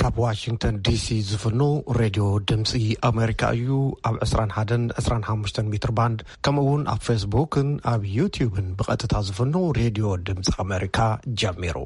ካብ ዋሽንግተን ዲሲ ዝፍኖ ሬድዮ ድምፂ ኣሜሪካ እዩ። ኣብ ዕስራን ሓደን ዕስራን ሓሙሽተን ሜትር ባንድ፣ ከምኡ እውን ኣብ ፌስቡክን ኣብ ዩቲዩብን ብቐጥታ ዝፍኖ ሬድዮ ድምፂ ኣሜሪካ ጀሚሩ።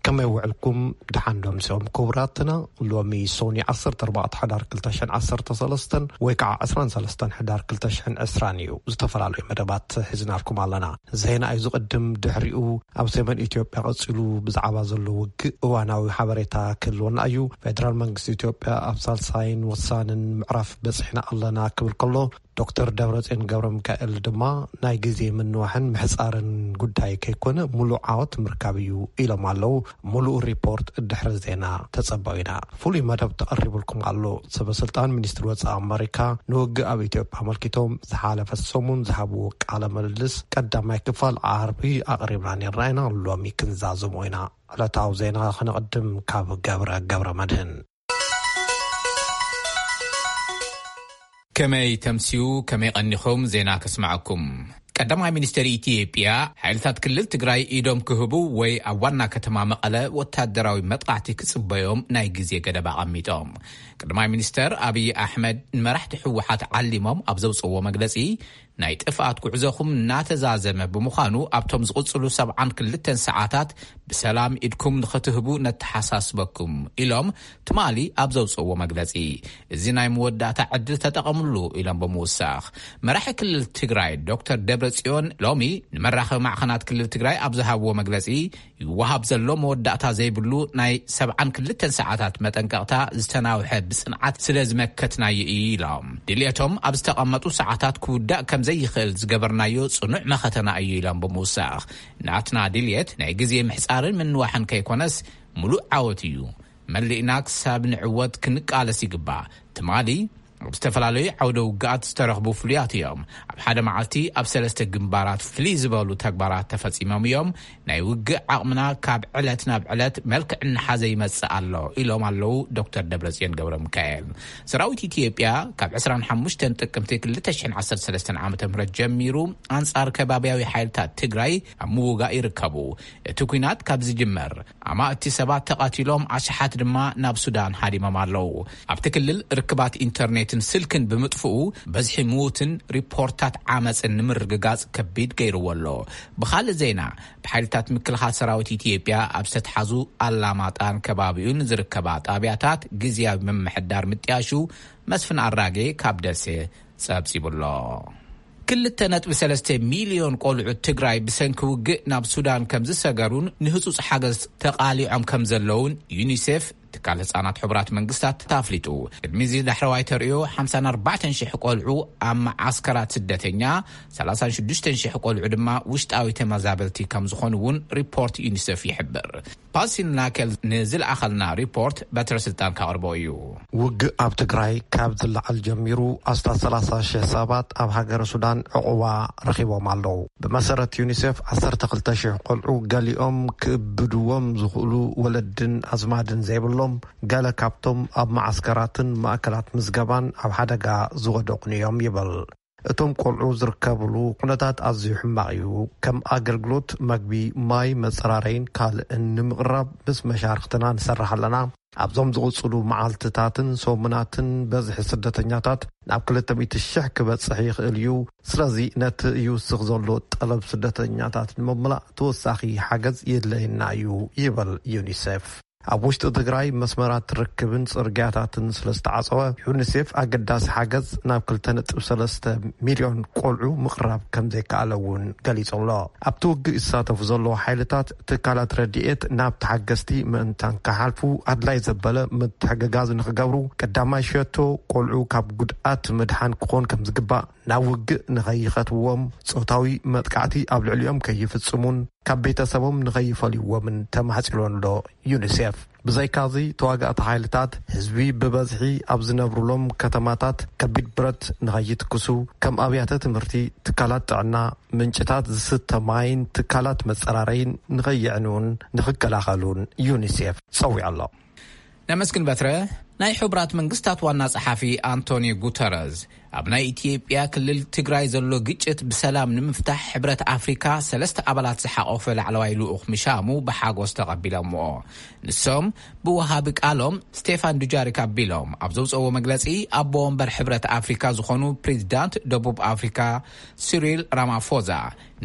ከመይ ውዕልኩም? ደሓን ዶ ምሰኦም ክቡራትና? ሎሚ ሶኒ ዓሰርተ ኣርባዕተ ሕዳር ክልተ ሽሕን ዓሰርተ ሰለስተን ወይ ከዓ ዕስራን ሰለስተን ሕዳር ክልተ ሽሕን ዕስራን እዩ። ዝተፈላለዩ መደባት ሒዝናልኩም ኣለና። ዜና እዩ ዝቕድም፣ ድሕሪኡ ኣብ ሰሜን ኢትዮጵያ ቀጺሉ ብዛዕባ ዘሎ ውግእ እዋናዊ ሓበሬታ ክህልወና እዩ። ፌደራል መንግስቲ ኢትዮጵያ ኣብ ሳልሳይን ወሳንን ምዕራፍ በጺሕና ኣለና ክብል ከሎ፣ ዶክተር ደብረጽዮን ገብረ ሚካኤል ድማ ናይ ግዜ ምንዋሕን ምሕጻርን ጉዳይ ከይኮነ፣ ሙሉእ ዓወት ምርካብ እዩ ኢሎም ኣለዉ። ሙሉእ ሪፖርት ድሕሪ ዜና ተጸበዩና። ፍሉይ መደብ ተቐሪቡልኩም ኣሎ። ሰበ ስልጣን ሚኒስትሪ ወጻኢ ኣመሪካ ንውግእ ኣብ ኢትዮጵያ ኣመልኪቶም ዝሓለፈ ሰሙን ዝሃብዎ ቃለ ምልልስ ቀዳማይ ክፋል ዓርቢ ኣቕሪብና ነርና ኢና። ሎሚ ክንዛዝሞ ኢና። ዕለታዊ ዜና ክንቕድም ካብ ገብረ ገብረ መድህን። ከመይ ተምስዩ፣ ከመይ ቀኒኹም? ዜና ከስማዓኩም። ቀዳማይ ሚኒስትር ኢትዮጵያ፣ ሓይልታት ክልል ትግራይ ኢዶም ክህቡ ወይ ኣብ ዋና ከተማ መቐለ ወታደራዊ መጥቃዕቲ ክጽበዮም ናይ ግዜ ገደብ ኣቐሚጦም። ቀዳማይ ሚኒስትር ኣብይ ኣሕመድ ንመራሕቲ ህወሓት ዓሊሞም ኣብ ዘውፅእዎ መግለጺ፣ ናይ ጥፍኣት ጉዕዞኹም እናተዛዘመ ብምዃኑ፣ ኣብቶም ዝቕጽሉ ሰብዓን ክልተን ሰዓታት ብሰላም ኢድኩም ንኽትህቡ ነተሓሳስበኩም ኢሎም ትማሊ ኣብ ዘውፅእዎ መግለጺ፣ እዚ ናይ መወዳእታ ዕድል ተጠቐምሉ ኢሎም ብምውሳኽ፣ መራሒ ክልል ትግራይ ዶክተር ደብረጽዮን ሎሚ ንመራኸቢ ማዕኸናት ክልል ትግራይ ኣብ ዝሃብዎ መግለጺ፣ ይወሃብ ዘሎ መወዳእታ ዘይብሉ ናይ ሰብዓን ክልተን ሰዓታት መጠንቀቕታ ዝተናውሐ ብጽንዓት ስለ ዝመከትናዮ እዩ ኢሎም። ድልየቶም ኣብ ዝተቐመጡ ሰዓታት ክውዳእ ከም ዘይኽእል ዝገበርናዮ ጽኑዕ መኸተና እዩ ኢሎም ብምውሳኽ፣ ናትና ድልየት ናይ ግዜ ምሕጻርን ምንዋሕን ከይኮነስ፣ ምሉእ ዓወት እዩ። መሊእና ክሳብ ንዕወት ክንቃለስ ይግባእ። ትማሊ ኣብ ዝተፈላለዩ ዓውደ ውግኣት ዝተረኽቡ ፍሉያት እዮም። ኣብ ሓደ መዓልቲ ኣብ ሰለስተ ግንባራት ፍልይ ዝበሉ ተግባራት ተፈጺሞም እዮም። ናይ ውግእ ዓቕምና ካብ ዕለት ናብ ዕለት መልክዕ እናሓዘ ይመጽእ ኣሎ ኢሎም ኣለዉ ዶክተር ደብረጽዮን ገብረ ሚካኤል። ሰራዊት ኢትዮጵያ ካብ ዕስራን ሓሙሽተን ጥቅምቲ ክልተ ሽሕን ዓሰርተ ሰለስተን ዓመተ ምህረት ጀሚሩ ኣንጻር ከባብያዊ ሓይልታት ትግራይ ኣብ ምውጋእ ይርከቡ። እቲ ኲናት ካብ ዝጅመር ኣማእቲ ሰባት ተቐቲሎም፣ ኣሽሓት ድማ ናብ ሱዳን ሃዲሞም ኣለዉ። ኣብቲ ክልል ርክባት ኢንተርኔትን ስልክን ብምጥፍኡ፣ በዝሒ ምዉትን ሪፖርታት ዓመፅን ንምርግጋፅ ከቢድ ገይርዎ ኣሎ። ብኻልእ ዜና፣ ብሓይልታት ምክልኻል ሰራዊት ኢትዮጵያ ኣብ ዝተትሓዙ ኣላማጣን ከባቢኡን ዝርከባ ጣብያታት ግዝያዊ ምምሕዳር ምጥያሹ መስፍን ኣራጌ ካብ ደሴ ጸብጺቡ ኣሎ። ክልተ ነጥቢ ሰለስተ ሚልዮን ቆልዑት ትግራይ ብሰንኪ ውግእ ናብ ሱዳን ከም ዝሰገሩን ንህጹጽ ሓገዝ ተቓሊዖም ከም ዘለውን ዩኒሴፍ፣ ትካል ህጻናት ሕቡራት መንግስታት፣ ኣፍሊጡ። ቅድሚ እዚ ዳሕረዋይ ተርእዮ ሓምሳን ኣርባዕተን ሽሕ ቆልዑ ኣብ መዓስከራት ስደተኛ፣ ሰላሳን ሽዱሽተን ሽሕ ቆልዑ ድማ ውሽጣዊ ተመዛበልቲ ከም ዝኾኑ እውን ሪፖርት ዩኒሴፍ ይሕብር። ፓሲል ናከል ንዝለኣኸልና ሪፖርት በትረ ስልጣን ካቕርቦ እዩ። ውግእ ኣብ ትግራይ ካብ ዝለዓል ጀሚሩ ኣስታት ሰላሳ ሽሕ ሰባት ኣብ ሃገረ ሱዳን ዕቑባ ረኺቦም ኣለዉ። ብመሰረት ዩኒሴፍ፣ ዓሰርተ ክልተ ሽሕ ቆልዑ ገሊኦም ክእብድዎም ዝኽእሉ ወለድን ኣዝማድን ዘይብሎም፣ ገለ ካብቶም ኣብ መዓስከራትን ማእከላት ምዝገባን ኣብ ሓደጋ ዝወደቑን እዮም ይብል። እቶም ቆልዑ ዝርከብሉ ኩነታት ኣዝዩ ሕማቕ እዩ። ከም ኣገልግሎት መግቢ፣ ማይ፣ መጸራረይን ካልእን ንምቕራብ ምስ መሻርኽትና ንሰርሕ ኣለና። ኣብዞም ዝቕጽሉ መዓልትታትን ሰሙናትን በዝሒ ስደተኛታት ናብ ክልተ ሚእቲ ሽሕ ክበጽሕ ይኽእል እዩ። ስለዚ ነቲ ይውስኽ ዘሎ ጠለብ ስደተኛታት ንምምላእ ተወሳኺ ሓገዝ የድለየና እዩ ይብል ዩኒሴፍ። ኣብ ውሽጢ ትግራይ መስመራት ርክብን ጽርግያታትን ስለ ዝተዓጸወ፣ ዩኒሴፍ ኣገዳሲ ሓገዝ ናብ ክልተ ነጥቢ ሰለስተ ሚልዮን ቆልዑ ምቕራብ ከም ዘይከኣለ እውን ገሊጹ ኣሎ። ኣብቲ ውግእ ይሳተፉ ዘለዉ ሓይልታት፣ ትካላት ረድኤት ናብ ተሓገዝቲ ምእንታን ክሓልፉ ኣድላይ ዘበለ ምትሕግጋዝ ንኽገብሩ፣ ቀዳማይ ሸቶ ቆልዑ ካብ ጉድኣት ምድሓን ክኾን ከም ዝግባእ፣ ናብ ውግእ ንኸይኸትዎም፣ ጾታዊ መጥቃዕቲ ኣብ ልዕሊኦም ከይፍጽሙን ካብ ቤተሰቦም ንኸይፈልይዎምን ተማሕጺኑ ኣሎ ዩኒሴፍ። ብዘይካዚ፣ ተዋጋእቲ ሓይልታት ህዝቢ ብበዝሒ ኣብ ዝነብሩሎም ከተማታት ከቢድ ብረት ንኸይትክሱ፣ ከም ኣብያተ ትምህርቲ፣ ትካላት ጥዕና፣ ምንጭታት ዝስተ ማይን ትካላት መጸራረይን ንኸይዕንዉን ንኽከላኸሉን ዩኒሴፍ ጸዊዑ ኣሎ። ነመስግን በትረ። ናይ ሕቡራት መንግስታት ዋና ጸሓፊ ኣንቶኒ ጉተረዝ ኣብ ናይ ኢትዮጵያ ክልል ትግራይ ዘሎ ግጭት ብሰላም ንምፍታሕ ሕብረት ኣፍሪካ ሰለስተ ኣባላት ዝሓቆፈ ላዕለዋይ ልኡኽ ምሻሙ ብሓጎስ ተቐቢሎምዎ። ንሶም ብወሃቢ ቃሎም ስቴፋን ዱጃሪክ ኣቢሎም ኣብ ዘውፅእዎ መግለፂ፣ ኣቦ ወንበር ሕብረት ኣፍሪካ ዝኾኑ ፕሬዚዳንት ደቡብ ኣፍሪካ ሲሪል ራማፎዛ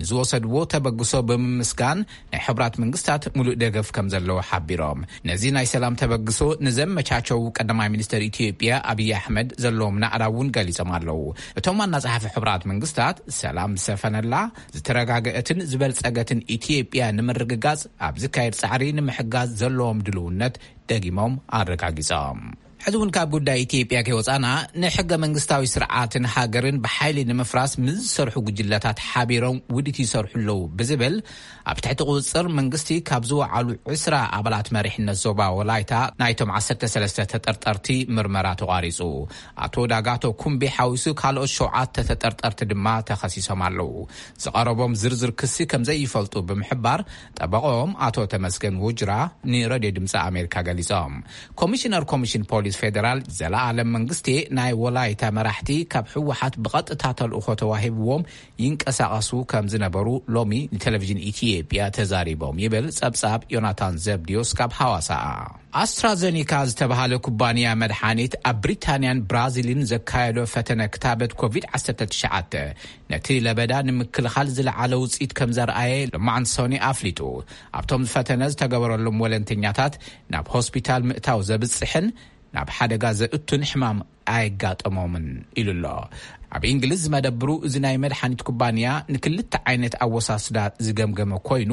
ንዝወሰድዎ ተበግሶ ብምምስጋን፣ ናይ ሕቡራት መንግስታት ሙሉእ ደገፍ ከም ዘለዎ ሓቢሮም። ነዚ ናይ ሰላም ተበግሶ ንዘመቻቸው ቀዳማይ ሚኒስትር ኢትዮጵያ ኣብይ ኣሕመድ ዘለዎም ናዕዳ እውን ገሊጾም ኣለዉ። እቶም ዋና ጸሓፊ ሕቡራት መንግስታት፣ ሰላም ዝሰፈነላ፣ ዝተረጋገአትን ዝበልጸገትን ኢትዮጵያ ንምርግጋጽ ኣብ ዝካየድ ጻዕሪ ንምሕጋዝ ዘለዎም ድልውነት ደጊሞም ኣረጋጊጾም። ሕዚ እውን ካብ ጉዳይ ኢትዮጵያ ከይወጻና፣ ንሕገ መንግስታዊ ስርዓትን ሃገርን ብሓይሊ ንምፍራስ ምስ ዝሰርሑ ጉጅለታት ሓቢሮም ውዲት ይሰርሑ ኣለዉ ብዝብል ኣብ ትሕቲ ቁጽጽር መንግስቲ ካብ ዝወዓሉ ዕስራ ኣባላት መሪሕነት ዞባ ወላይታ ናይቶም ዓሰርተ ሰለስተ ተጠርጠርቲ ምርመራ ተቋሪጹ። ኣቶ ዳጋቶ ኩምቢ ሓዊሱ ካልኦት ሸውዓተ ተጠርጠርቲ ድማ ተኸሲሶም ኣለዉ። ዝቐረቦም ዝርዝር ክሲ ከም ዘይፈልጡ ብምሕባር፣ ጠበቆም ኣቶ ተመስገን ውጅራ ንሬድዮ ድምፂ ኣሜሪካ ገሊጾም። ኮሚሽነር ኮሚሽን ፖሊስ ፌደራል ዘለኣለም መንግስቴ፣ ናይ ወላይታ መራሕቲ ካብ ህወሓት ብቐጥታ ተልእኾ ተዋሂብዎም ይንቀሳቐሱ ከም ዝነበሩ ሎሚ ንቴሌቪዥን ኢትዮጵያ ተዛሪቦም ይብል ጸብጻብ ዮናታን ዘብድዮስ ካብ ሃዋሳ። ኣስትራዘኒካ ዝተባሃለ ኩባንያ መድሓኒት ኣብ ብሪታንያን ብራዚልን ዘካየዶ ፈተነ ክታበት ኮቪድ ዓሰርተ ትሽዓተ ነቲ ለበዳ ንምክልኻል ዝለዓለ ውፅኢት ከም ዘርኣየ ሎማዓንቲ ሶኒ ኣፍሊጡ። ኣብቶም ፈተነ ዝተገበረሎም ወለንተኛታት ናብ ሆስፒታል ምእታው ዘብፅሕን ናብ ሓደጋ ዘእቱን ሕማም ኣየጋጠሞምን ኢሉ ኣሎ። ኣብ እንግሊዝ ዝመደብሩ እዚ ናይ መድሓኒት ኩባንያ ንክልተ ዓይነት ኣወሳስዳ ዝገምገመ ኮይኑ፣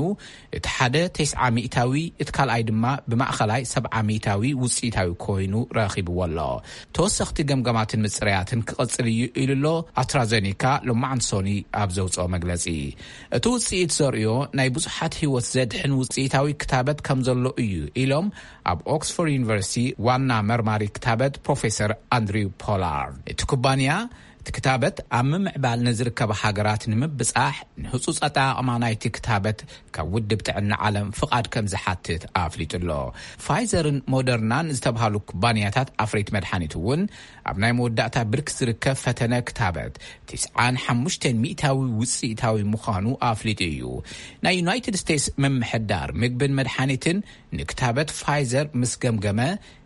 እቲ ሓደ ተስዓ ሚእታዊ፣ እቲ ካልኣይ ድማ ብማእኸላይ ሰብዓ ሚእታዊ ውፅኢታዊ ኮይኑ ረኺብዎ ኣሎ። ተወሰኽቲ ገምገማትን ምፅረያትን ክቕፅል እዩ ኢሉ ኣሎ ኣስትራዘኒካ ሎማዓንቲ ሶኒ ኣብ ዘውፅኦ መግለፂ። እቲ ውፅኢት ዘርእዮ ናይ ብዙሓት ህይወት ዘድሕን ውፅኢታዊ ክታበት ከም ዘሎ እዩ ኢሎም ኣብ ኦክስፎርድ ዩኒቨርሲቲ ዋና መርማሪ ክታበት ፕሮፌሰር ኣንድሪው ፖላርድ። እቲ ኩባንያ እቲ ክታበት ኣብ ምምዕባል ንዝርከባ ሃገራት ንምብጻሕ ንህጹጽ ኣጠቓቕማ ናይቲ ክታበት ካብ ውድብ ጥዕና ዓለም ፍቓድ ከም ዝሓትት ኣፍሊጡ ኣሎ። ፋይዘርን ሞደርናን ዝተብሃሉ ኩባንያታት ኣፍረይቲ መድሓኒት እውን ኣብ ናይ መወዳእታ ብርኪ ዝርከብ ፈተነ ክታበት ትስዓን ሓሙሽተን ሚእታዊ ውጽኢታዊ ምዃኑ ኣፍሊጡ እዩ። ናይ ዩናይትድ ስቴትስ ምምሕዳር ምግብን መድሓኒትን ንክታበት ፋይዘር ምስ ገምገመ፣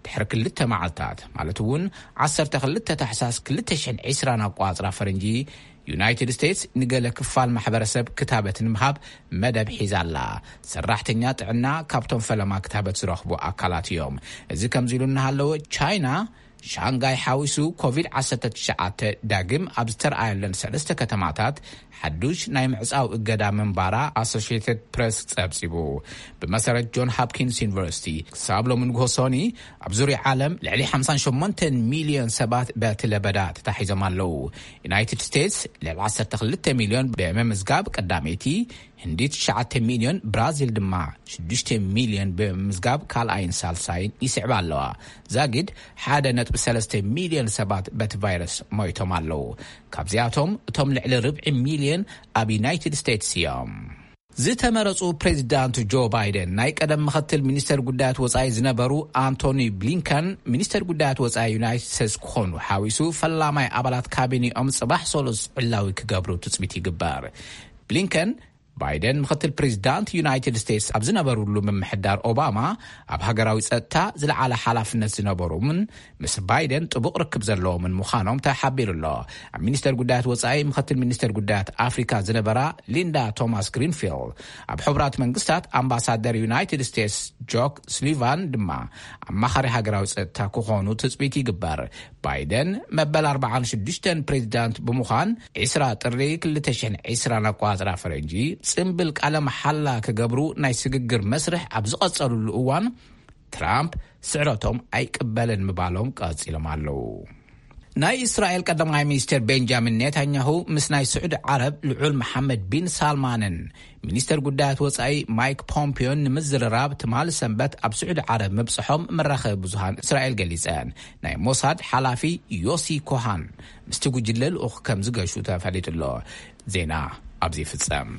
ድሕሪ ክልተ መዓልታት፣ ማለት እውን ዓሰርተ ክልተ ታሕሳስ ክልተ ሽሕን ዕስራን ኣቋጽራ ፈረንጂ፣ ዩናይትድ ስቴትስ ንገለ ክፋል ማሕበረሰብ ክታበት ንምሃብ መደብ ሒዛ ኣላ። ሰራሕተኛ ጥዕና ካብቶም ፈለማ ክታበት ዝረኽቡ ኣካላት እዮም። እዚ ከምዚ ኢሉ እናሃለወ፣ ቻይና ሻንጋይ ሓዊሱ ኮቪድ ዓሰርተ ትሽዓተ ዳግም ኣብ ዝተረኣየለን ሰለስተ ከተማታት ሓዱሽ ናይ ምዕጻው እገዳ ምንባራ ኣሶሽየትድ ፕረስ ጸብጺቡ። ብመሰረት ጆን ሃፕኪንስ ዩኒቨርሲቲ፣ ክሳብ ሎሚ ንግሆ ሶኒ ኣብ ዙርያ ዓለም ልዕሊ ሓምሳን ሸሞንተን ሚልዮን ሰባት በቲ ለበዳ ተታሒዞም ኣለዉ። ዩናይትድ ስቴትስ ልዕሊ ዓሰርተ ክልተ ሚልዮን ብምምዝጋብ ቀዳመይቲ፣ ህንዲ ትሽዓተ ሚልዮን፣ ብራዚል ድማ ሽዱሽተ ሚልዮን ብምምዝጋብ ካልኣይን ሳልሳይን ይስዕባ ኣለዋ። ዛጊድ ሓደ ነጥቢ ሰለስተ ሚልዮን ሰባት በቲ ቫይረስ ሞይቶም ኣለዉ። ካብዚኣቶም እቶም ልዕሊ ርብዒ ሚልዮን ኣብ ዩናይትድ ስቴትስ እዮም። ዝተመረጹ ፕሬዚዳንት ጆ ባይደን፣ ናይ ቀደም ምኽትል ሚኒስተር ጉዳያት ወጻኢ ዝነበሩ ኣንቶኒ ብሊንከን፣ ሚኒስተር ጉዳያት ወጻኢ ዩናይትድ ስቴትስ ክኾኑ ሓዊሱ ፈላማይ ኣባላት ካቢኔኦም ጽባሕ ሰሉስ ዕላዊ ክገብሩ ትጽቢት ይግበር። ብሊንከን፣ ባይደን ምኽትል ፕሬዚዳንት ዩናይትድ ስቴትስ ኣብ ዝነበሩሉ ምምሕዳር ኦባማ፣ ኣብ ሃገራዊ ጸጥታ ዝለዓለ ሓላፍነት ዝነበሮምን ምስ ባይደን ጥቡቕ ርክብ ዘለዎምን ምዃኖም ተሓቢሩ ኣሎ። ኣብ ሚኒስተር ጉዳያት ወጻኢ ምኽትል ሚኒስተር ጉዳያት ኣፍሪካ ዝነበራ ሊንዳ ቶማስ ግሪንፊልድ፣ ኣብ ሕቡራት መንግስታት ኣምባሳደር ዩናይትድ ስቴትስ ጆክ ስሊቫን ድማ ኣማኻሪ ሃገራዊ ጸጥታ ክኾኑ ትጽቢት ይግበር። ባይደን መበል ኣርባዓን ሽዱሽተን ፕሬዚዳንት ብምዃን፣ ዕስራ ጥሪ ክልተ ሽሕን ዕስራን ኣቋጽራ ፈረንጂ ጽምብል ቃለ መሓላ ክገብሩ ናይ ስግግር መስርሕ ኣብ ዝቐጸሉሉ እዋን፣ ትራምፕ ስዕረቶም ኣይቅበልን ምባሎም ቀጺሎም ኣለዉ። ናይ እስራኤል ቀዳማይ ሚኒስትር ቤንጃሚን ኔታንያሁ ምስ ናይ ስዑዲ ዓረብ ልዑል መሓመድ ቢን ሳልማንን ሚኒስተር ጉዳያት ወጻኢ ማይክ ፖምፒዮን ንምዝርራብ ትማሊ ሰንበት ኣብ ስዑዲ ዓረብ ምብጽሖም መራኸቢ ብዙሃን እስራኤል ገሊጸን። ናይ ሞሳድ ሓላፊ ዮሲ ኮሃን ምስቲ ጉጅለ ልኡኽ ከም ዝገሹ ተፈሊጡ ኣሎ። ዜና ኣብዚ ይፍጸም።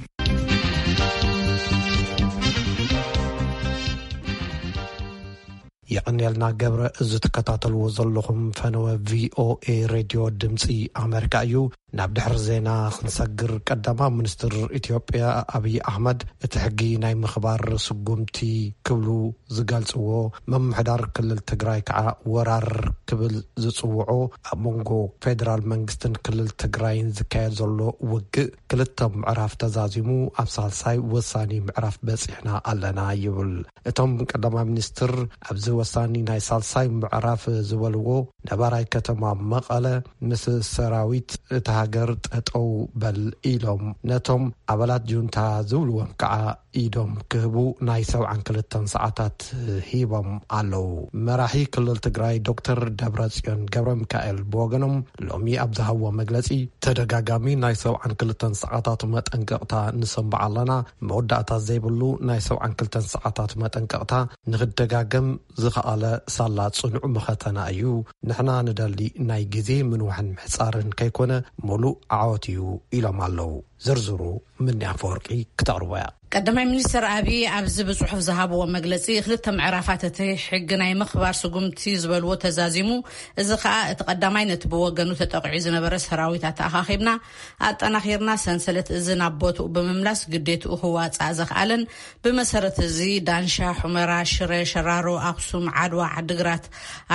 የቐንየልና ገብረ። እዚ ትከታተልዎ ዘለኹም ፈነወ ቪኦኤ ሬድዮ ድምፂ ኣመሪካ እዩ። ናብ ድሕሪ ዜና ክንሰግር፣ ቀዳማይ ሚኒስትር ኢትዮጵያ ኣብይ ኣሕመድ እቲ ሕጊ ናይ ምኽባር ስጉምቲ ክብሉ ዝገልጽዎ፣ ምምሕዳር ክልል ትግራይ ከዓ ወራር ክብል ዝጽውዖ፣ ኣብ መንጎ ፌደራል መንግስትን ክልል ትግራይን ዝካየድ ዘሎ ውግእ ክልተ ምዕራፍ ተዛዚሙ ኣብ ሳልሳይ ወሳኒ ምዕራፍ በጺሕና ኣለና ይብል። እቶም ቀዳማይ ሚኒስትር ኣብዚ ወሳኒ ናይ ሳልሳይ ምዕራፍ ዝበልዎ፣ ነባራይ ከተማ መቐለ ምስ ሰራዊት እታ ሃገር ጠጠው በል ኢሎም ነቶም ኣባላት ጁንታ ዝብልዎም ከዓ ኢዶም ክህቡ ናይ ሰብዓን ክልተን ሰዓታት ሂቦም ኣለዉ። መራሒ ክልል ትግራይ ዶክተር ደብረጽዮን ገብረ ሚካኤል ብወገኖም ሎሚ ኣብ ዝሃብዎ መግለጺ፣ ተደጋጋሚ ናይ ሰብዓን ክልተን ሰዓታት መጠንቀቕታ ንሰምዕ ኣለና። መወዳእታ ዘይብሉ ናይ ሰብዓን ክልተን ሰዓታት መጠንቀቕታ ንኽደጋገም ዝኸኣለ ሳላ ጽኑዕ መኸተና እዩ። ንሕና ንደሊ ናይ ግዜ ምንዋሕን ምሕጻርን ከይኮነ፣ ሙሉእ ዓወት እዩ ኢሎም ኣለዉ። ዝርዝሩ ምኒ ኣፈወርቂ ክተቕርቦ እያ። ቀዳማይ ሚኒስትር ኣብይ ኣብዚ ብጽሑፍ ዝሃብዎ መግለጺ፣ ክልተ ምዕራፋት እቲ ሕጊ ናይ ምኽባር ስጉምቲ ዝበልዎ ተዛዚሙ። እዚ ከኣ እቲ ቀዳማይ ነቲ ብወገኑ ተጠቂዑ ዝነበረ ሰራዊት ኣተኣኻኺብና ኣጠናኺርና፣ ሰንሰለት እዚ ናብ ቦትኡ ብምምላስ ግዴትኡ ክዋጻእ ዘኽኣለን፣ ብመሰረት እዚ ዳንሻ፣ ሑመራ፣ ሽረ፣ ሸራሮ፣ ኣኽሱም፣ ዓድዋ፣ ዓድግራት፣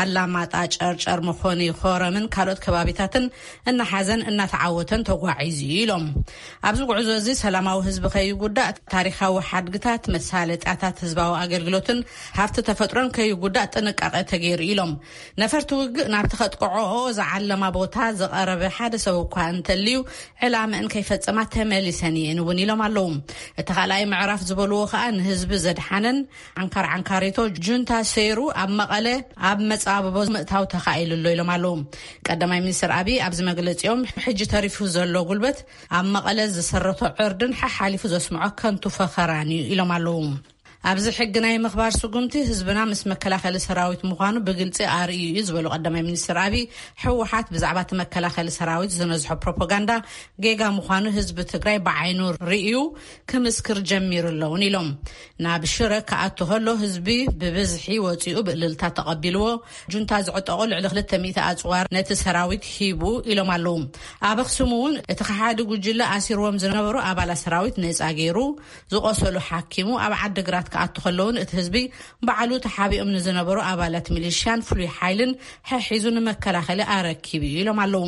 ኣላማጣ፣ ጨርጨር፣ መኾኒ፣ ኮረምን ካልኦት ከባቢታትን እናሓዘን እናተዓወተን ተጓዒዙ እዩ ኢሎም። ኣብዚ ጉዕዞ እዚ ሰላማዊ ህዝቢ ከይጉዳእ፣ ታሪኻዊ ሓድግታት፣ መሳለጥያታት ህዝባዊ ኣገልግሎትን ሃፍቲ ተፈጥሮን ከይጉዳእ ጥንቃቄ ተገይሩ ኢሎም። ነፈርቲ ውግእ ናብቲ ከጥቅዖኦ ዝዓለማ ቦታ ዝቐረበ ሓደ ሰብ እኳ እንተልዩ፣ ዕላመአን ከይፈጸማ ተመሊሰን እየን እውን ኢሎም ኣለዉ። እቲ ካልኣይ ምዕራፍ ዝበልዎ ከኣ ንህዝቢ ዘድሓነን፣ ዓንካር ዓንካሪቶ ጁንታ ሰይሩ ኣብ መቐለ ኣብ መጻብቦ ምእታው ተኻኢሉ ኣሎ ኢሎም ኣለዉ። ቀዳማይ ሚኒስትር ኣብይ ኣብዚ መግለጺኦም፣ ሕጂ ተሪፉ ዘሎ ጉልበት ኣብ መቐለ ዝሰረቶ ዕርድን ሓሓሊፉ ዘስምዖ ከንቱ ፈኸራን እዩ ኢሎም ኣለዉ። ኣብዚ ሕጊ ናይ ምኽባር ስጉምቲ ህዝብና ምስ መከላኸሊ ሰራዊት ምዃኑ ብግልጺ ኣርእዩ እዩ ዝበሉ ቀዳማይ ሚኒስትር ኣብይ፣ ህወሓት ብዛዕባ እቲ መከላኸሊ ሰራዊት ዝነዝሖ ፕሮፓጋንዳ ጌጋ ምዃኑ ህዝቢ ትግራይ ብዓይኑ ርእዩ ክምስክር ጀሚሩ ኣለውን ኢሎም። ናብ ሽረ ክኣቱ ከሎ ህዝቢ ብብዝሒ ወፂኡ ብእልልታ ተቐቢልዎ። ጁንታ ዝዕጠቑ ልዕሊ ክልተ ሚእቲ ኣፅዋር ነቲ ሰራዊት ሂቡ ኢሎም ኣለዉ። ኣብ ኣኽሱም እውን እቲ ከሓዲ ጉጅለ ኣሲርዎም ዝነበሩ ኣባላት ሰራዊት ነፃ ገይሩ፣ ዝቆሰሉ ሓኪሙ፣ ኣብ ዓዲግራት ክኣቱ ከለውን እቲ ህዝቢ ባዕሉ ተሓቢኦም ንዝነበሩ ኣባላት ሚሊሽያን ፍሉይ ሓይልን ሕሒዙ ንመከላኸሊ ኣረኪቡ እዩ ኢሎም ኣለዉ።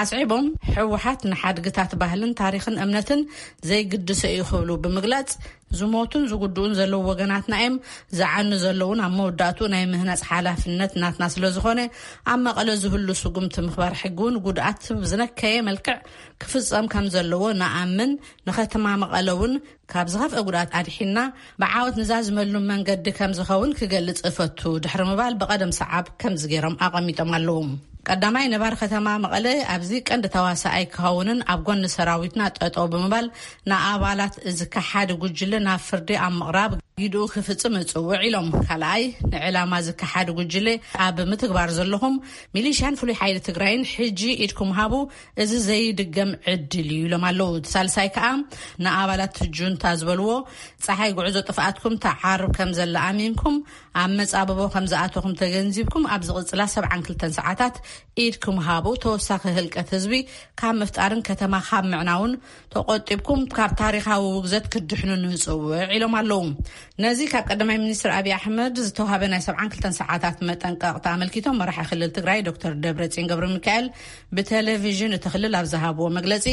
ኣስዒቦም፣ ህወሓት ንሓድግታት ባህልን ታሪኽን እምነትን ዘይግድሶ እዩ ክብሉ ብምግላጽ፣ ዝሞቱን ዝጉድኡን ዘለዉ ወገናትና እዮም፣ ዝዓኑ ዘለውን ኣብ መወዳእቱ ናይ ምህናጽ ሓላፍነት ናትና ስለ ዝኾነ፣ ኣብ መቐለ ዝህሉ ስጉምቲ ምኽባር ሕጊ እውን ጉድኣት ብዝነከየ መልክዕ ክፍጸም ከም ዘለዎ ንኣምን፣ ንከተማ መቐለ እውን ካብ ዝኸፍአ ጉድኣት ኣድሒንና ብዓወት ንዛዝመሉ መንገዲ ከም ዝኸውን ክገልጽ እፈቱ ድሕሪ ምባል ብቐደም ሰዓብ ከምዚ ገይሮም ኣቐሚጦም ኣለዉ። ቀዳማይ ነባሪ ከተማ መቐለ ኣብዚ ቀንዲ ተዋሳኣይ ክኸውንን ኣብ ጎኒ ሰራዊትና ጠጠው ብምባል ንኣባላት እዚ ከሓዲ ጉጅለ ናብ ፍርዲ ኣብ ምቕራብ ግድኡ ክፍጽም እጽውዕ ኢሎም። ካልኣይ ንዕላማ እዚ ከሓዲ ጉጅለ ኣብ ምትግባር ዘለኹም ሚሊሽያን ፍሉይ ሓይሊ ትግራይን ሕጂ ኢድኩም ሃቡ፣ እዚ ዘይድገም ዕድል እዩ ኢሎም ኣለዉ። እቲ ሳልሳይ ከኣ ንኣባላት ጁንታ ዝበልዎ ጸሓይ ጉዕዞ ጥፍኣትኩም ተዓርብ ከም ዘላ ኣሚንኩም ኣብ መጻብቦ ከም ዝኣተኹም ተገንዚብኩም ኣብ ዝቕጽላ ሰብዓን ክልተን ሰዓታት ኢድኩም ሃቡ። ተወሳኺ ህልቀት ህዝቢ ካብ ምፍጣርን ከተማ ካብ ምዕናውን ተቆጢብኩም ካብ ታሪኻዊ ውግዘት ክትድሕኑ ንጽውዕ ኢሎም ኣለዉ። ነዚ ካብ ቀዳማይ ሚኒስትር ኣብይ ኣሕመድ ዝተዋሃበ ናይ ሰብዓን ክልተን ሰዓታት መጠንቀቕታ ኣመልኪቶም መራሒ ክልል ትግራይ ዶክተር ደብረጽዮን ገብረ ሚካኤል ብቴሌቪዥን እቲ ክልል ኣብ ዝሃብዎ መግለጺ፣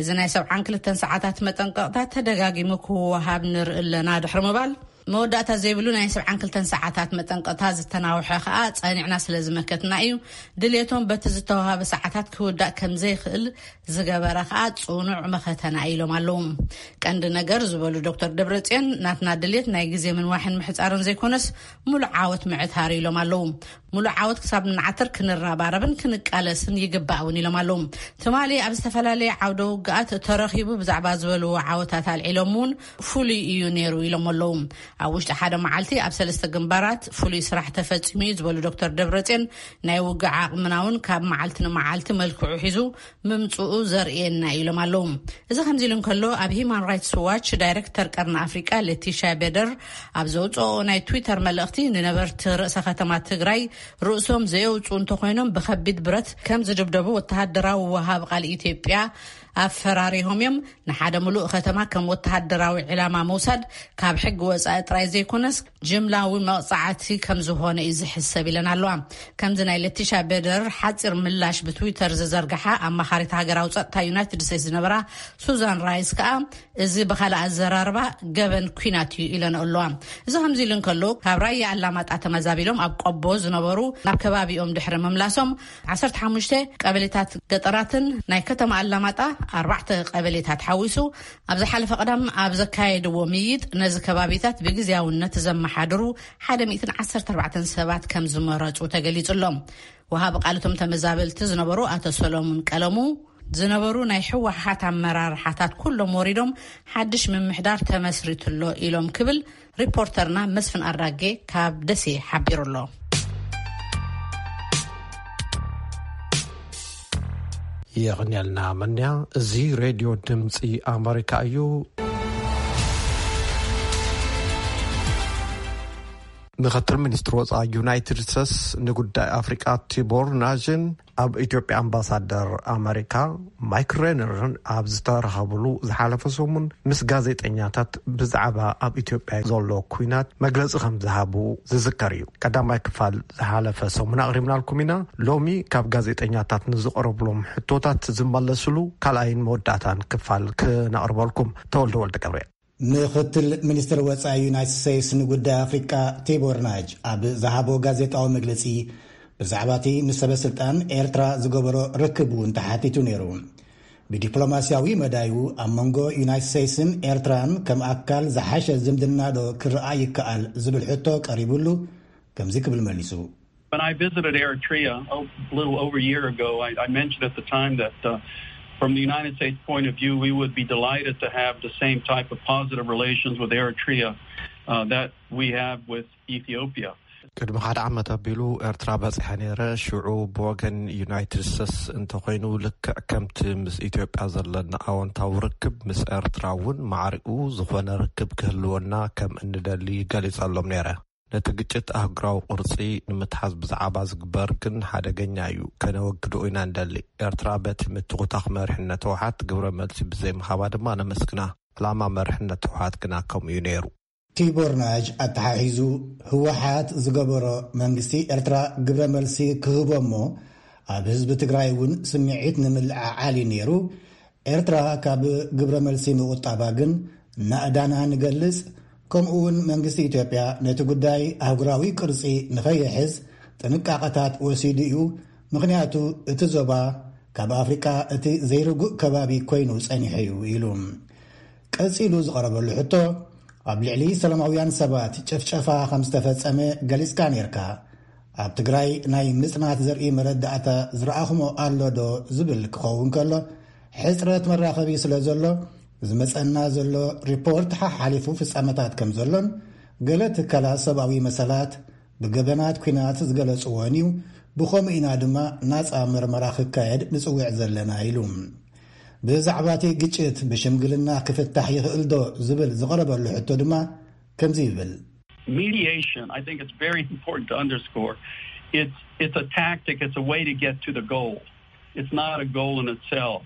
እዚ ናይ ሰብዓን ክልተን ሰዓታት መጠንቀቕታ ተደጋጊሙ ክወሃብ ንርኢ ኣለና ድሕሪ ምባል፣ መወዳእታ ዘይብሉ ናይ ሰብዓን ክልተን ሰዓታት መጠንቀቕታ ዝተናውሐ ከኣ ጸኒዕና ስለ ዝመከትና እዩ። ድሌቶም በቲ ዝተዋሃበ ሰዓታት ክውዳእ ከም ዘይኽእል ዝገበረ ከኣ ጽኑዕ መኸተና ኢሎም ኣለዉ። ቀንዲ ነገር ዝበሉ ዶክተር ደብረጽዮን፣ ናትና ድሌት ናይ ግዜ ምንዋሕን ምሕጻርን ዘይኮነስ፣ ሙሉእ ዓወት ምዕታር ኢሎም ኣለዉ። ሙሉእ ዓወት ክሳብ ንዓትር ክንረባረብን ክንቃለስን ይግባእ እውን ኢሎም ኣለዉ። ትማሊ ኣብ ዝተፈላለየ ዓውደ ውግኣት ተረኺቡ ብዛዕባ ዝበልዎ ዓወታት ኣልዒሎም እውን ፍሉይ እዩ ነይሩ ኢሎም ኣለዉ። ኣብ ውሽጢ ሓደ መዓልቲ ኣብ ሰለስተ ግንባራት ፍሉይ ስራሕ ተፈጺሙ እዩ ዝበሉ ዶክተር ደብረጽዮን፣ ናይ ውግእ ዓቕምና እውን ካብ መዓልቲ ንመዓልቲ መልክዑ ሒዙ ምምጽኡ ዘርእየና እዩ ኢሎም ኣለዉ። እዚ ከምዚ ኢሉ እንከሎ፣ ኣብ ሂማን ራይትስ ዋች ዳይሬክተር ቀርኒ ኣፍሪቃ ለቲሻ ቤደር ኣብ ዘውፅኦ ናይ ትዊተር መልእኽቲ፣ ንነበርቲ ርእሰ ከተማ ትግራይ ርእሶም ዘየውፅኡ እንተኮይኖም ብከቢድ ብረት ከም ዝድብደቡ ወተሃደራዊ ወሃብ ቃል ኢትዮጵያ ኣፈራሪሆም እዮም። ንሓደ ምሉእ ከተማ ከም ወተሃደራዊ ዕላማ ምውሳድ ካብ ሕጊ ወፃኢ ጥራይ ዘይኮነስ ጅምላዊ መቕፃዕቲ ከም ዝኾነ እዩ ዝሕሰብ ኢለን ኣለዋ። ከምዚ ናይ ለቲሻ ቤደር ሓፂር ምላሽ ብትዊተር ዝዘርግሓ ኣማኻሪት ሃገራዊ ፀጥታ ዩናይትድ ስቴትስ ዝነበራ ሱዛን ራይስ ከዓ፣ እዚ ብኻልእ ኣዘራርባ ገበን ኲናት እዩ ኢለን ኣለዋ። እዚ ከምዚ ኢሉ እንከሎ፣ ካብ ራያ ኣላማጣ ተመዛቢሎም ኣብ ቆቦ ዝነበሩ፣ ናብ ከባቢኦም ድሕሪ ምምላሶም፣ ዓሰርተ ሓሙሽተ ቀበሌታት ገጠራትን ናይ ከተማ ኣላማጣ ኣርባዕተ ቀበሌታት ሓዊሱ ኣብ ዝሓለፈ ቀዳም ኣብ ዘካየድዎ ምይይጥ፣ ነዚ ከባቢታት ብግዝያውነት ዘመሓድሩ ሓደ ሚእትን ዓሰርተ ኣርባዕተን ሰባት ከም ዝመረጹ ተገሊጹ ኣሎ። ወሃቢ ቃል እቶም ተመዛበልቲ ዝነበሩ ኣቶ ሰሎሙን ቀለሙ፣ ዝነበሩ ናይ ህወሓት ኣመራርሓታት ኩሎም ወሪዶም ሓድሽ ምምሕዳር ተመስሪቱ ኣሎ ኢሎም ክብል ሪፖርተርና መስፍን ኣራጌ ካብ ደሴ ሓቢሩ ኣሎ። የቕንየልና መንያ። እዚ ሬድዮ ድምፂ ኣመሪካ እዩ። ምክትል ሚኒስትር ወፃኢ ዩናይትድ ስቴትስ ንጉዳይ ኣፍሪቃ ቲቦር ናዥን ኣብ ኢትዮጵያ ኣምባሳደር ኣመሪካ ማይክ ሬነርን ኣብ ዝተራኸብሉ ዝሓለፈ ሰሙን፣ ምስ ጋዜጠኛታት ብዛዕባ ኣብ ኢትዮጵያ ዘሎ ኲናት መግለፂ ከም ዝሃቡ ዝዝከር እዩ። ቀዳማይ ክፋል ዝሓለፈ ሰሙን ኣቕሪብናልኩም ኢና። ሎሚ ካብ ጋዜጠኛታት ንዝቐረብሎም ሕቶታት ዝመለስሉ ካልኣይን መወዳእታን ክፋል ክነቕርበልኩም። ተወልደ ወልደ ገብርኤል። ምክትል ሚኒስትር ወጻኢ ዩናይትድ ስቴትስ ንጉዳይ ኣፍሪቃ ቲቦር ናጅ ኣብ ዝሃቦ ጋዜጣዊ መግለጺ፣ ብዛዕባ እቲ ምስ ሰበ ስልጣን ኤርትራ ዝገበሮ ርክብ እውን ተሓቲቱ ነይሩ። ብዲፕሎማስያዊ መዳዩ፣ ኣብ መንጎ ዩናይትድ ስቴትስን ኤርትራን ከም ኣካል ዝሓሸ ዝምድና ዶ ክረኣ ይከኣል ዝብል ሕቶ ቀሪቡሉ፣ ከምዚ ክብል መሊሱ። When I visited Eritrea a little over a year ago, I, I mentioned at the time that, uh, from the United States point of view, we would be delighted to have the same type of positive relations with Eritrea, uh, that we have with Ethiopia. ቅድሚ ሓደ ዓመት ኣቢሉ ኤርትራ በጺሐ ነይረ። ሽዑ ብወገን ዩናይትድ ስቴትስ እንተኾይኑ፣ ልክዕ ከምቲ ምስ ኢትዮጵያ ዘለና ኣወንታዊ ርክብ፣ ምስ ኤርትራ እውን ማዕሪኡ ዝኾነ ርክብ ክህልወና ከም እንደሊ ገሊጸሎም ነይረ። ነቲ ግጭት ኣህጉራዊ ቅርጺ ንምትሓዝ ብዛዕባ ዝግበር ግን ሓደገኛ እዩ። ከነወግዶ ኢና እንደሊ። ኤርትራ በቲ ምትኹታኽ መሪሕነት ህወሓት ግብረ መልሲ ብዘይምሃባ ድማ ነመስግና። ዕላማ መሪሕነት ህወሓት ግና ከምኡ እዩ ነይሩ። ቲቦር ናጅ ኣተሓሒዙ፣ ህወሓት ዝገበሮ መንግስቲ ኤርትራ ግብረ መልሲ ክህቦ እሞ፣ ኣብ ህዝቢ ትግራይ እውን ስምዒት ንምልዕዓል እዩ ነይሩ። ኤርትራ ካብ ግብረ መልሲ ምቑጣባ ግን ናእዳና ንገልጽ። ከምኡ እውን መንግስቲ ኢትዮጵያ ነቲ ጉዳይ ኣህጉራዊ ቅርጺ ንኸይሕዝ ጥንቃቐታት ወሲዱ እዩ። ምኽንያቱ እቲ ዞባ ካብ ኣፍሪቃ እቲ ዘይርጉእ ከባቢ ኮይኑ ጸኒሑ እዩ ኢሉ። ቀጺሉ ዝቐረበሉ ሕቶ፣ ኣብ ልዕሊ ሰላማውያን ሰባት ጭፍጨፋ ከም ዝተፈጸመ ገሊጽካ ነይርካ። ኣብ ትግራይ ናይ ምጽናት ዘርኢ መረዳእታ ዝረኣኹሞ ኣሎ ዶ ዝብል ክኸውን ከሎ፣ ሕጽረት መራኸቢ ስለ ዘሎ፣ ዝመጸና ዘሎ ሪፖርት ሓሓሊፉ ፍጻመታት ከም ዘሎን፣ ገለ ትካላት ሰብኣዊ መሰላት ብገበናት ኲናት ዝገለጽዎን እዩ። ብኸምኡ ኢና ድማ ናጻ መርመራ ክካየድ ንጽውዕ ዘለና ኢሉ። ብዛዕባ እቲ ግጭት ብሽምግልና ክፍታሕ ይኽእል ዶ ዝብል ዝቐረበሉ ሕቶ ድማ ከምዚ ይብል። Mediation, I think it's very important to underscore. It's, it's a tactic, it's a way to get to the goal. It's not a goal in itself.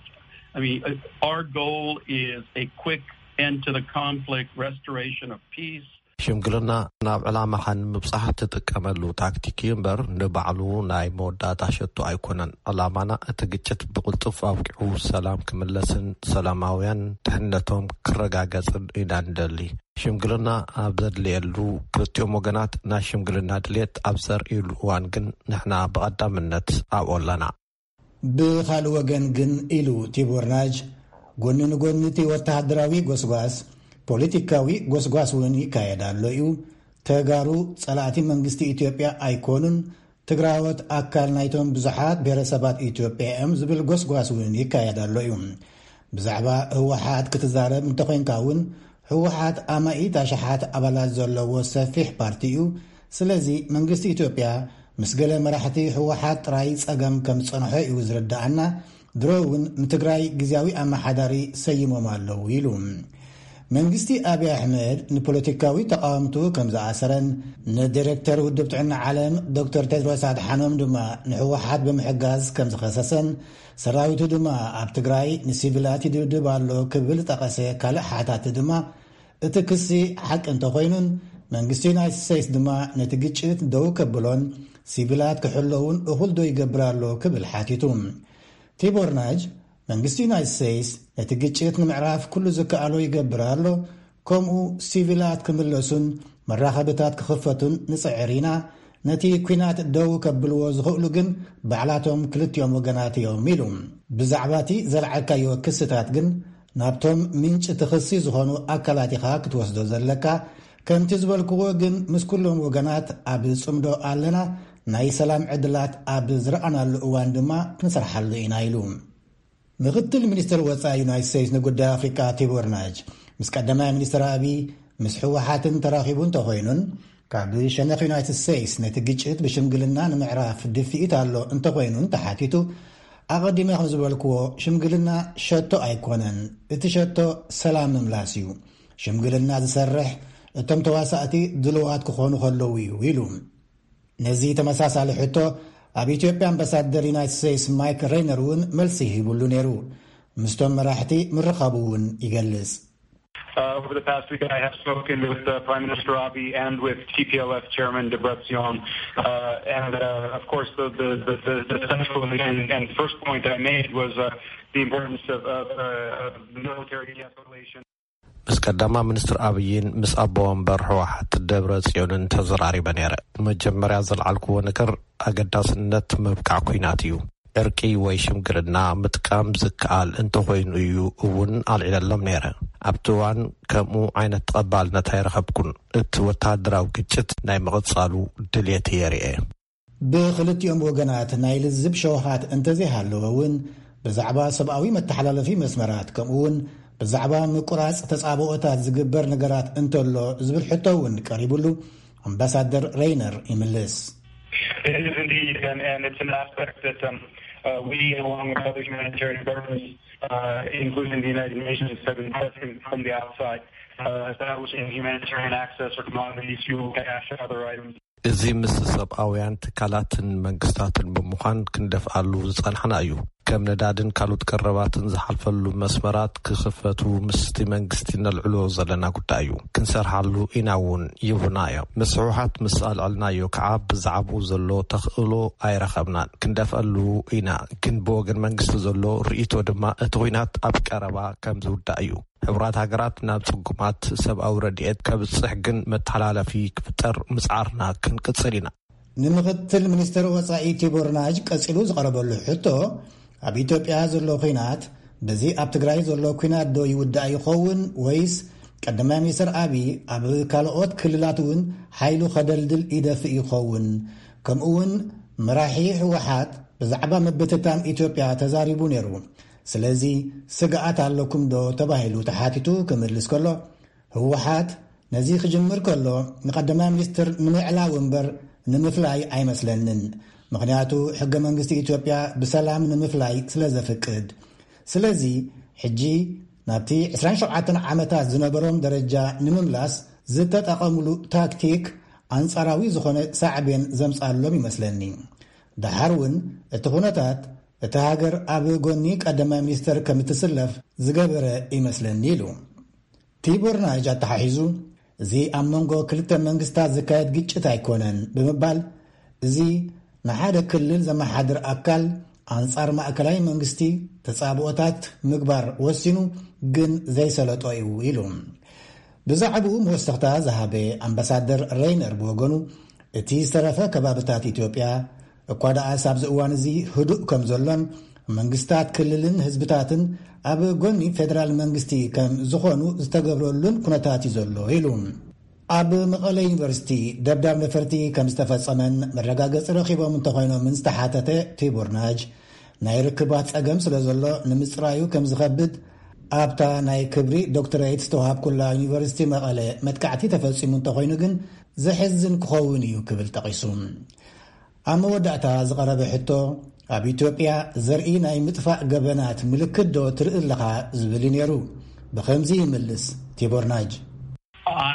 I mean, uh, our goal is a quick end to the conflict, restoration of peace. ሽምግልና ናብ ዕላማኻ ንምብጻሕ ትጥቀመሉ ታክቲክ እዩ እምበር፣ ንባዕሉ ናይ መወዳእታ ሸቶ ኣይኮነን። ዕላማና እቲ ግጭት ብቕልጡፍ ኣብቂዑ ሰላም ክምለስን ሰላማውያን ድሕነቶም ክረጋገጽን ኢና ንደሊ። ሽምግልና ኣብ ዘድልየሉ፣ ክልቲኦም ወገናት ናይ ሽምግልና ድልየት ኣብ ዘርእይሉ እዋን ግን ንሕና ብቐዳምነት ኣብኡ ኣለና። ብኻልእ ወገን ግን፣ ኢሉ ቲቦር ናጅ፣ ጎኒ ንጎኒ እቲ ወተሃደራዊ ጎስጓስ፣ ፖለቲካዊ ጎስጓስ እውን ይካየድ ኣሎ እዩ። ተጋሩ ጸላእቲ መንግስቲ ኢትዮጵያ ኣይኮኑን። ትግራዎት ኣካል ናይቶም ብዙሓት ብሄረሰባት ኢትዮጵያ እዮም ዝብል ጎስጓስ እውን ይካየድ ኣሎ እዩ። ብዛዕባ ህወሓት ክትዛረብ እንተኾይንካ እውን፣ ህወሓት ኣማኢት ኣሽሓት ኣባላት ዘለዎ ሰፊሕ ፓርቲ እዩ። ስለዚ መንግስቲ ኢትዮጵያ ምስ ገለ መራሕቲ ህወሓት ጥራይ ጸገም ከም ዝጸንሖ እዩ ዝርድኣና። ድሮ እውን ንትግራይ ግዝያዊ ኣመሓዳሪ ሰይሞም ኣለዉ ኢሉ። መንግስቲ ኣብይ ኣሕመድ ንፖለቲካዊ ተቃወምቱ ከም ዝኣሰረን ንዲሬክተር ውድብ ጥዕና ዓለም ዶክተር ቴድሮስ ኣድሓኖም ድማ ንህወሓት ብምሕጋዝ ከም ዝኸሰሰን ሰራዊቱ ድማ ኣብ ትግራይ ንሲቪላት ይድብድብ ኣሎ ክብል ዝጠቐሰ ካልእ ሓታቲ ድማ እቲ ክሲ ሓቂ እንተኾይኑን መንግስቲ ዩናይትድ ስቴትስ ድማ ነቲ ግጭት ደው ከብሎን ሲቪላት ክሕለውን እኹል ዶ ይገብር ኣሎ ክብል ሓቲቱ። ቲቦር ናጅ መንግስቲ ዩናይትድ ስቴትስ ነቲ ግጭት ንምዕራፍ ኩሉ ዝከኣሎ ይገብር ኣሎ፣ ከምኡ ሲቪላት ክምለሱን መራኸብታት ክኽፈቱን ንጽዕር ኢና። ነቲ ኲናት ደው ከብልዎ ዝኽእሉ ግን ባዕላቶም ክልቲኦም ወገናት እዮም ኢሉ። ብዛዕባ እቲ ዘልዓልካዮ ክስታት ግን ናብቶም ምንጪ እቲ ክሲ ዝኾኑ ኣካላት ኢኻ ክትወስዶ ዘለካ። ከምቲ ዝበልክዎ ግን ምስ ኩሎም ወገናት ኣብ ጽምዶ ኣለና። ናይ ሰላም ዕድላት ኣብ ዝረኣናሉ እዋን ድማ ክንሰርሓሉ ኢና ኢሉ። ምክትል ሚኒስትር ወጻኢ ዩናይትድ ስቴትስ ንጉዳይ ኣፍሪቃ ቲቦር ናጅ ምስ ቀዳማይ ሚኒስትር ኣብይ ምስ ህወሓትን ተራኺቡ እንተኾይኑን ካብ ሸነኽ ዩናይትድ ስቴትስ ነቲ ግጭት ብሽምግልና ንምዕራፍ ድፍኢት ኣሎ እንተኾይኑን ተሓቲቱ ኣቐዲመ ከም ዝበልክዎ ሽምግልና ሸቶ ኣይኮነን። እቲ ሸቶ ሰላም ምምላስ እዩ። ሽምግልና ዝሰርሕ እቶም ተዋሳእቲ ድልዋት ክኾኑ ከለዉ እዩ ኢሉ። ነዚ ተመሳሳሊ ሕቶ ኣብ ኢትዮጵያ ኣምባሳደር ዩናይትድ ስቴትስ ማይክ ሬይነር እውን መልሲ ሂቡሉ ነይሩ። ምስቶም መራሕቲ ምርኻቡ እውን ይገልጽ። Uh, over the past week, I have spoken with uh, Prime Minister Abiy and with T P L F Chairman Debretsion. Uh, and uh, of course, the, the, the, the central and, and first point I made was uh, the importance of, of, uh, of military de-escalation. ምስ ቀዳማ ሚኒስትር ኣብይን ምስ ኣቦ ወንበር ህወሓት ደብረ ጽዮንን ተዘራሪበ ነይረ። መጀመርያ ዘልዓልክዎ ነገር ኣገዳስነት ምብቃዕ ኲናት እዩ። ዕርቂ ወይ ሽምግልና ምጥቃም ዝከኣል እንተኾይኑ እዩ እውን ኣልዒለሎም ነይረ። ኣብቲ እዋን ከምኡ ዓይነት ተቐባልነት ኣይረኸብኩን። እቲ ወተሃደራዊ ግጭት ናይ ምቕጻሉ ድልየት እየ ርእየ። ብኽልቲኦም ወገናት ናይ ልዝብ ሸውሃት እንተዘይሃለወ እውን ብዛዕባ ሰብኣዊ መተሓላለፊ መስመራት ከምኡ እውን ብዛዕባ ምቁራጽ ተጻብኦታት ዝግበር ነገራት እንተሎ ዝብል ሕቶ እውን ቀሪቡሉ ኣምባሳደር ሬይነር ይምልስ። It is indeed, and, and it's an aspect that um, uh, we, along with other humanitarian partners, uh, including the United Nations, have been pressing from the outside, uh, establishing humanitarian access for commodities, fuel, cash, and other items. እዚ ምስ ሰብኣውያን ትካላትን መንግስታትን ብምዃን ክንደፍኣሉ ዝጸናሕና እዩ። ከም ነዳድን ካልኦት ቀረባትን ዝሓልፈሉ መስመራት ክኽፈቱ ምስቲ መንግስቲ ነልዕሎ ዘለና ጉዳይ እዩ። ክንሰርሓሉ ኢና እውን ይብሉና እዮም። ምስ ህወሓት ምስ ኣልዐልናዮ ከዓ ብዛዕባኡ ዘሎ ተኽእሎ ኣይረኸብናን። ክንደፍኣሉ ኢና፣ ግን ብወገን መንግስቲ ዘሎ ርእይቶ ድማ እቲ ኲናት ኣብ ቀረባ ከም ዝውዳእ እዩ። ሕቡራት ሃገራት ናብ ጽጉማት ሰብኣዊ ረድኤት ከብጽሕ ግን መተሓላለፊ ክፍጠር ምጽዓርና ክንቅጽል ኢና። ንምኽትል ሚኒስትር ወጻኢ ቲቦር ናጅ ቀጺሉ ዝቐረበሉ ሕቶ ኣብ ኢትዮጵያ ዘሎ ኲናት በዚ ኣብ ትግራይ ዘሎ ኲናት ዶ ይውዳእ ይኸውን ወይስ ቀዳማይ ሚኒስትር ኣብይ ኣብ ካልኦት ክልላት እውን ሓይሉ ከደልድል ይደፍእ ይኸውን? ከምኡ እውን መራሒ ህወሓት ብዛዕባ ምብትታን ኢትዮጵያ ተዛሪቡ ነይሩ። ስለዚ ስግኣት ኣለኩም ዶ ተባሂሉ ተሓቲቱ ክምልስ ከሎ ህወሓት ነዚ ክጅምር ከሎ ንቀዳማይ ሚኒስትር ንምዕላው እምበር ንምፍላይ ኣይመስለንን። ምኽንያቱ ሕገ መንግስቲ ኢትዮጵያ ብሰላም ንምፍላይ ስለ ዘፍቅድ። ስለዚ ሕጂ ናብቲ ዕስራን ሸውዓተን ዓመታት ዝነበሮም ደረጃ ንምምላስ ዝተጠቐምሉ ታክቲክ ኣንጻራዊ ዝኾነ ሳዕቤን ዘምጻሎም ይመስለኒ። ደሓር እውን እቲ ኩነታት እቲ ሃገር ኣብ ጎኒ ቀዳማይ ሚኒስተር ከም እትስለፍ ዝገበረ ይመስለኒ ኢሉ። ቲቦር ናጅ ኣተሓሒዙ፣ እዚ ኣብ መንጎ ክልተ መንግስታት ዝካየድ ግጭት ኣይኮነን ብምባል፣ እዚ ንሓደ ክልል ዘመሓድር ኣካል ኣንጻር ማእከላይ መንግስቲ ተጻብኦታት ምግባር ወሲኑ ግን ዘይሰለጦ እዩ ኢሉ። ብዛዕባኡ መወሰኽታ ዝሃበ ኣምባሳደር ሬይነር ብወገኑ፣ እቲ ዝተረፈ ከባብታት ኢትዮጵያ እኳ ደኣስ ኣብዚ እዋን እዚ ህዱእ ከም ዘሎን መንግስታት ክልልን ህዝብታትን ኣብ ጎኒ ፌደራል መንግስቲ ከም ዝኾኑ ዝተገብረሉን ኩነታት እዩ ዘሎ ኢሉ። ኣብ መቐለ ዩኒቨርሲቲ ደብዳብ ነፈርቲ ከም ዝተፈጸመን መረጋገጺ ረኺቦም እንተኾይኖምን ዝተሓተተ ቲቦር ናጅ፣ ናይ ርክባት ጸገም ስለ ዘሎ ንምጽራዩ ከም ዝኸብድ ኣብታ ናይ ክብሪ ዶክተሬት ዝተዋሃብኩላ ዩኒቨርሲቲ መቐለ መጥቃዕቲ ተፈጺሙ እንተኾይኑ ግን፣ ዘሕዝን ክኸውን እዩ ክብል ጠቒሱ። ኣብ መወዳእታ ዝቐረበ ሕቶ፣ ኣብ ኢትዮጵያ ዘርኢ ናይ ምጥፋእ ገበናት ምልክት ዶ ትርኢ ኣለኻ ዝብል እዩ ነይሩ። ብኸምዚ ይምልስ ቲቦር ናጅ።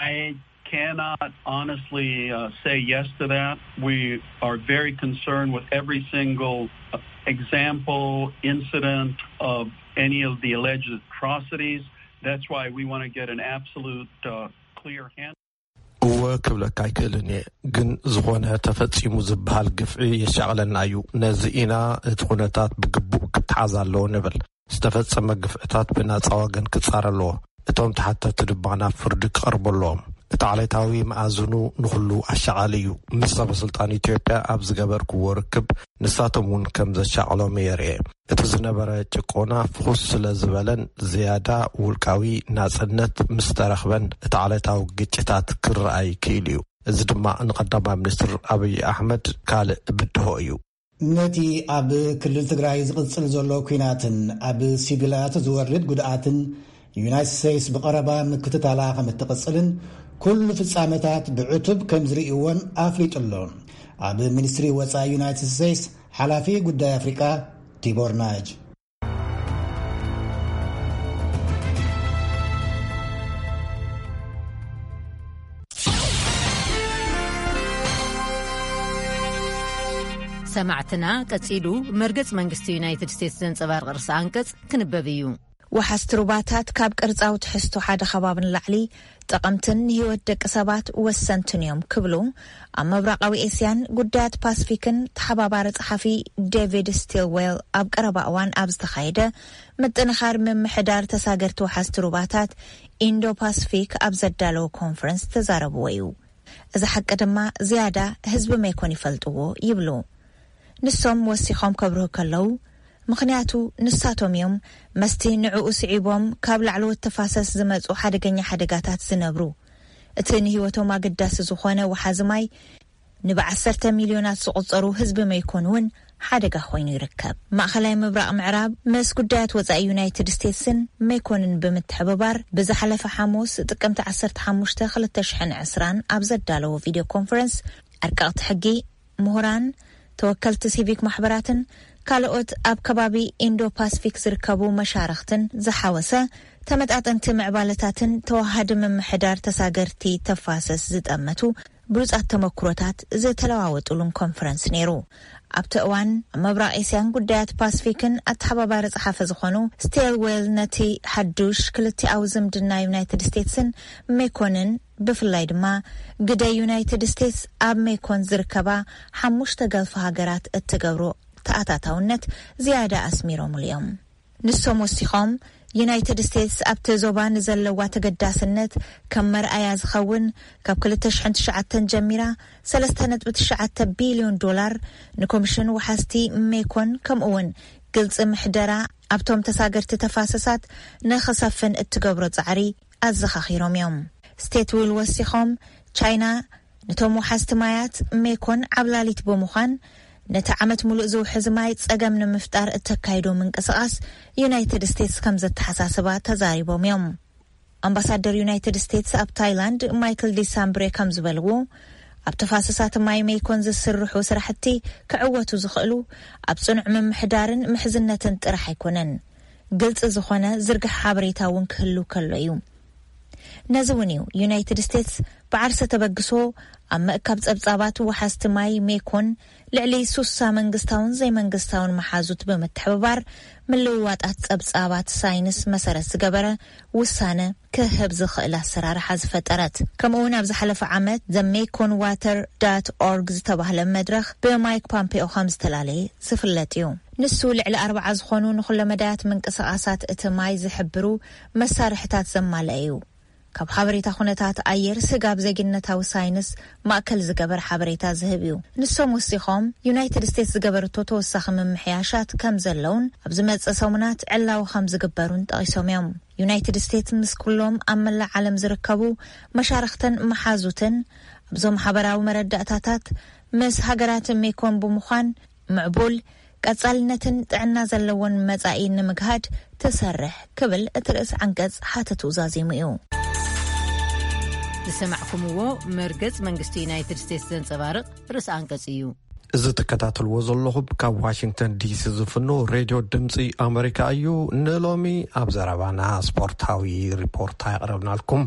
I cannot honestly uh, say yes to that. We are very concerned with every single uh, example, incident of any of the alleged atrocities. That's why we want to get an absolute uh, clear handle. እወ ክብለካ ኣይክእልን እየ፣ ግን ዝኾነ ተፈጺሙ ዝበሃል ግፍዒ የሻቕለና እዩ። ነዚ ኢና እቲ ኩነታት ብግቡእ ክተሓዝ ኣለዎ ንብል። ዝተፈጸመ ግፍዕታት ብናጻ ወገን ክጻረ ኣለዎ። እቶም ተሓተቲ ድማ ናብ ፍርዲ ክቐርቡ ኣለዎም። እቲ ዓሌታዊ መኣዝኑ ንኹሉ ኣሻቓሊ እዩ። ምስ ሰበ ስልጣን ኢትዮጵያ ኣብ ዝገበርክዎ ርክብ ንሳቶም እውን ከም ዘሻቕሎም እየ ርእየ። እቲ ዝነበረ ጭቆና ፍኹስ ስለ ዝበለን ዝያዳ ውልቃዊ ናጽነት ምስ ተረኽበን እቲ ዓሌታዊ ግጭታት ክረኣይ ክኢሉ እዩ። እዚ ድማ ንቀዳማይ ሚኒስትር ኣብይ ኣሕመድ ካልእ ብድሆ እዩ። ነቲ ኣብ ክልል ትግራይ ዝቕጽል ዘሎ ኲናትን ኣብ ሲቪላት ዝወርድ ጉድኣትን ዩናይትድ ስቴትስ ብቐረባ ምክትታላ ከም እትቕጽልን ኩሉ ፍጻመታት ብዕቱብ ከም ዝርእይዎን ኣፍሊጡ ኣሎ። ኣብ ሚኒስትሪ ወጻኢ ዩናይትድ ስቴትስ ሓላፊ ጉዳይ ኣፍሪቃ ቲቦር ናጅ። ሰማዕትና፣ ቀጺሉ መርገጽ መንግስቲ ዩናይትድ ስቴትስ ዘንጸባርቕ ርእሰ ኣንቀጽ ክንበብ እዩ። ወሓዝቲ ሩባታት ካብ ቅርጻዊ ትሕዝቶ ሓደ ከባቢ ንላዕሊ ጠቐምትን ንህይወት ደቂ ሰባት ወሰንትን እዮም ክብሉ ኣብ ምብራቓዊ ኤስያን ጉዳያት ፓስፊክን ተሓባባሪ ጸሓፊ ዴቪድ ስቲልዌል ኣብ ቀረባ እዋን ኣብ ዝተኻየደ ምጥንኻር ምምሕዳር ተሳገርቲ ወሓዝቲ ሩባታት ኢንዶ ፓስፊክ ኣብ ዘዳለዎ ኮንፈረንስ ተዛረብዎ እዩ። እዚ ሓቂ ድማ ዝያዳ ህዝቢ ሜኮን ይፈልጥዎ ይብሉ። ንሶም ወሲኾም ከብርሁ ከለዉ፣ ምኽንያቱ ንሳቶም እዮም መስቲ ንዕኡ ስዒቦም ካብ ላዕለዎት ተፋሰስ ዝመጹ ሓደገኛ ሓደጋታት ዝነብሩ። እቲ ንህይወቶም ኣገዳሲ ዝኾነ ወሓዚ ማይ ንብዓሰርተ ሚልዮናት ዝቑጸሩ ህዝቢ ሜኮን እውን ሓደጋ ኮይኑ ይርከብ። ማእኸላይ ምብራቕ ምዕራብ ምስ ጉዳያት ወጻኢ ዩናይትድ ስቴትስን ሜኮንን ብምትሕብባር ብዝሓለፈ ሓሙስ ጥቅምቲ ዓሰርተ ሓሙሽተ ክልተ ሽሕን ዕስራን ኣብ ዘዳለዎ ቪድዮ ኮንፈረንስ ኣርቀቕቲ ሕጊ፣ ምሁራን፣ ተወከልቲ ሲቪክ ማሕበራትን ካልኦት ኣብ ከባቢ ኢንዶ ፓስፊክ ዝርከቡ መሻርኽትን ዝሓወሰ ተመጣጠንቲ ምዕባለታትን ተወሃዲ ምምሕዳር ተሳገርቲ ተፋሰስ ዝጠመቱ ብሉጻት ተመክሮታት ዝተለዋወጡሉን ኮንፈረንስ ነይሩ። ኣብቲ እዋን ኣብ ምብራቕ ኤስያን ጉዳያት ፓስፊክን ኣተሓባባሪ ጸሓፊ ዝኾኑ ስቴልዌል ነቲ ሓዱሽ ክልቲኣዊ ዝምድና ዩናይትድ ስቴትስን ሜኮንን ብፍላይ ድማ ግደ ዩናይትድ ስቴትስ ኣብ ሜኮን ዝርከባ ሓሙሽተ ገልፊ ሃገራት እትገብሮ ተኣታታውነት ዝያዳ ኣስሚሮምሉ እዮም። ንሶም ወሲኾም ዩናይትድ ስቴትስ ኣብቲ ዞባ ንዘለዋ ተገዳስነት ከም መርኣያ ዝኸውን ካብ ክልተ ሽሕን ትሽዓተን ጀሚራ ሰለስተ ነጥቢ ትሽዓተ ቢልዮን ዶላር ንኮሚሽን ወሓዝቲ ሜኮን ከምኡ እውን ግልፂ ምሕደራ ኣብቶም ተሳገርቲ ተፋሰሳት ንኽሰፍን እትገብሮ ፃዕሪ ኣዘኻኺሮም እዮም። ስቴትዊል ወሲኾም ቻይና ነቶም ወሓዝቲ ማያት ሜኮን ዓብላሊት ብምዃን ነቲ ዓመት ሙሉእ ዝውሕዝ ማይ ጸገም ንምፍጣር እተካይዶ ምንቅስቓስ ዩናይትድ ስቴትስ ከም ዘተሓሳስባ ተዛሪቦም እዮም። ኣምባሳደር ዩናይትድ ስቴትስ ኣብ ታይላንድ ማይክል ዲሳምብሬ ከም ዝበልዎ፣ ኣብ ተፋሰሳት ማይ ሜኮን ዝስርሑ ስራሕቲ ክዕወቱ ዝኽእሉ ኣብ ጽኑዕ ምምሕዳርን ምሕዝነትን ጥራሕ ኣይኮነን፣ ግልጺ ዝኾነ ዝርግሕ ሓበሬታ እውን ክህሉ ከሎ እዩ። ነዚ እውን እዩ ዩናይትድ ስቴትስ ብዓርሰ ተበግሶ ኣብ ምእካብ ጸብጻባት ወሓዝቲ ማይ ሜኮን ልዕሊ ሱሳ መንግስታውን ዘይመንግስታውን መሓዙት ብምትሕብባር ምልውዋጣት ጸብጻባት ሳይንስ መሰረት ዝገበረ ውሳነ ክህብ ዝኽእል ኣሰራርሓ ዝፈጠረት። ከምኡ እውን ኣብ ዝሓለፈ ዓመት The Mekong Water dot org ዝተባህለ መድረኽ ብማይክ ፓምፔኦ ከም ዝተላለየ ዝፍለጥ እዩ። ንሱ ልዕሊ ኣርባዓ ዝኾኑ ንኹለመዳያት ምንቅስቓሳት እቲ ማይ ዝሕብሩ መሳርሕታት ዘማልአ እዩ። ካብ ሓበሬታ ኩነታት ኣየር ስጋብ ዜግነታዊ ሳይንስ ማእከል ዝገበር ሓበሬታ ዝህብ እዩ። ንሶም ወሲኾም ዩናይትድ ስቴትስ ዝገበረቶ ተወሳኺ ምምሕያሻት ከም ዘለውን ኣብ ዝመጽእ ሰሙናት ዕላዊ ከም ዝግበሩን ጠቒሶም እዮም። ዩናይትድ ስቴትስ ምስ ኩሎም ኣብ መላእ ዓለም ዝርከቡ መሻርኽትን መሓዙትን ኣብዞም ሓበራዊ መረዳእታታት ምስ ሃገራት ሜኮን ብምዃን ምዕቡል ቀጻልነትን ጥዕና ዘለዎን መጻኢ ንምግሃድ ትሰርሕ ክብል እቲ ርእሲ ዓንቀጽ ሓተቱ ዛዚሙ እዩ። ዝሰማዕኩምዎ መርገጽ መንግስቲ ዩናይትድ ስቴትስ ዘንጸባርቕ ርእሲ ዓንቀጽ እዩ። እዚ ትከታተልዎ ዘለኹም ካብ ዋሽንግተን ዲሲ ዝፍኖ ሬድዮ ድምፂ ኣመሪካ እዩ። ንሎሚ ኣብ ዘረባና ስፖርታዊ ሪፖርት ኣየቕረብናልኩም።